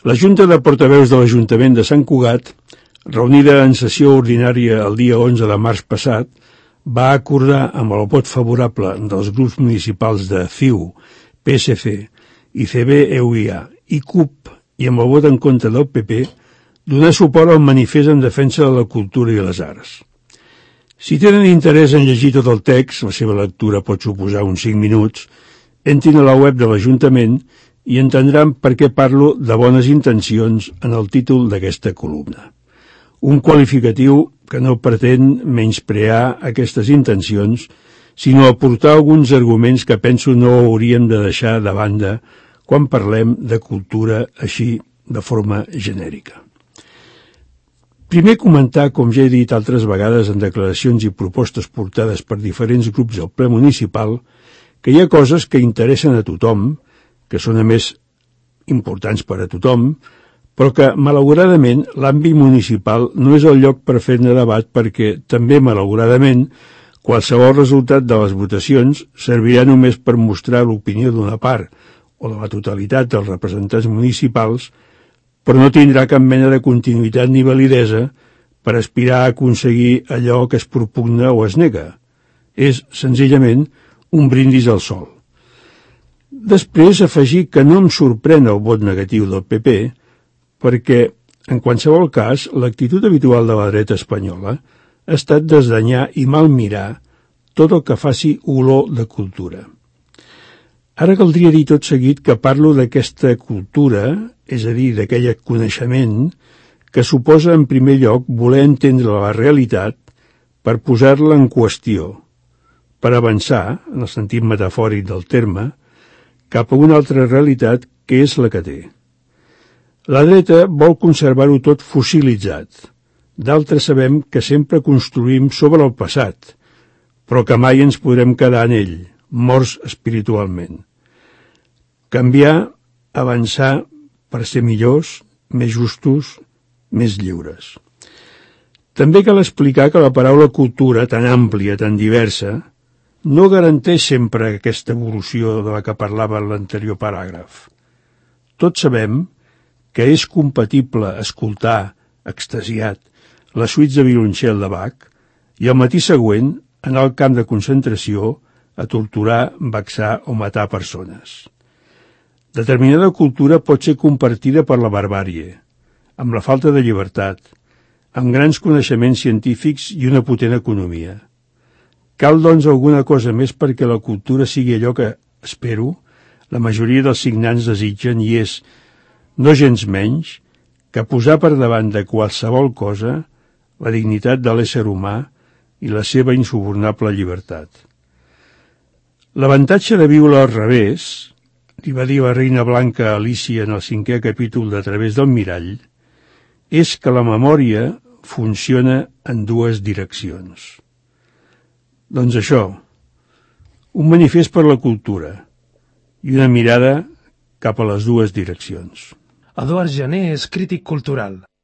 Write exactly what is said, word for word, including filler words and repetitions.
La Junta de Portaveus de l'Ajuntament de Sant Cugat, reunida en sessió ordinària el dia onze de març passat, va acordar amb el vot favorable dels grups municipals de C I U, P S C i C B E U I A i C U P i amb el vot en contra del P P donar suport al manifest en defensa de la cultura i les arts. Si tenen interès en llegir tot el text, la seva lectura pot suposar uns cinc minuts, entrin a la web de l'Ajuntament i entendran per què parlo de bones intencions en el títol d'aquesta columna. Un qualificatiu que no pretén menysprear aquestes intencions, sinó aportar alguns arguments que penso no hauríem de deixar de banda quan parlem de cultura així de forma genèrica. Primer comentar, com ja he dit altres vegades en declaracions i propostes portades per diferents grups al ple municipal, que hi ha coses que interessen a tothom, que són a més importants per a tothom, però que, malauradament, l'àmbit municipal no és el lloc per fer-ne debat perquè, també malauradament, qualsevol resultat de les votacions servirà només per mostrar l'opinió d'una part o de la totalitat dels representants municipals, però no tindrà cap mena de continuïtat ni validesa per aspirar a aconseguir allò que es propugna o es nega. És, senzillament, un brindis al sol. Després, afegir que no em sorprèn el vot negatiu del P P, perquè, en qualsevol cas, l'actitud habitual de la dreta espanyola ha estat desdanyar i malmirar tot el que faci olor de cultura. Ara caldria dir tot seguit que parlo d'aquesta cultura, és a dir, d'aquell coneixement, que suposa en primer lloc voler entendre la realitat per posar-la en qüestió, per avançar, en el sentit metafòric del terme, cap a una altra realitat que és la que té. La dreta vol conservar-ho tot fossilitzat. D'altres sabem que sempre construïm sobre el passat, però que mai ens podrem quedar en ell, morts espiritualment. Canviar, avançar per ser millors, més justos, més lliures. També cal explicar que la paraula cultura, tan àmplia, tan diversa, no garanteix sempre aquesta evolució de la que parlava en l'anterior paràgraf. Tots sabem que és compatible escoltar, extasiat, les suites de violoncel de Bach i al matí següent anar al camp de concentració a torturar, vexar o matar persones. Determinada cultura pot ser compartida per la barbàrie, amb la falta de llibertat, amb grans coneixements científics i una potent economia. Cal, doncs, alguna cosa més perquè la cultura sigui allò que, espero, la majoria dels signants desitgen i és, no gens menys, que posar per davant de qualsevol cosa la dignitat de l'ésser humà i la seva insubornable llibertat. L'avantatge de viure al revés, li va dir la reina blanca a Alícia en el cinquè capítol de A través del mirall, és que la memòria funciona en dues direccions. Doncs això, un manifest per la cultura i una mirada cap a les dues direccions. Eduard Jané és crític cultural.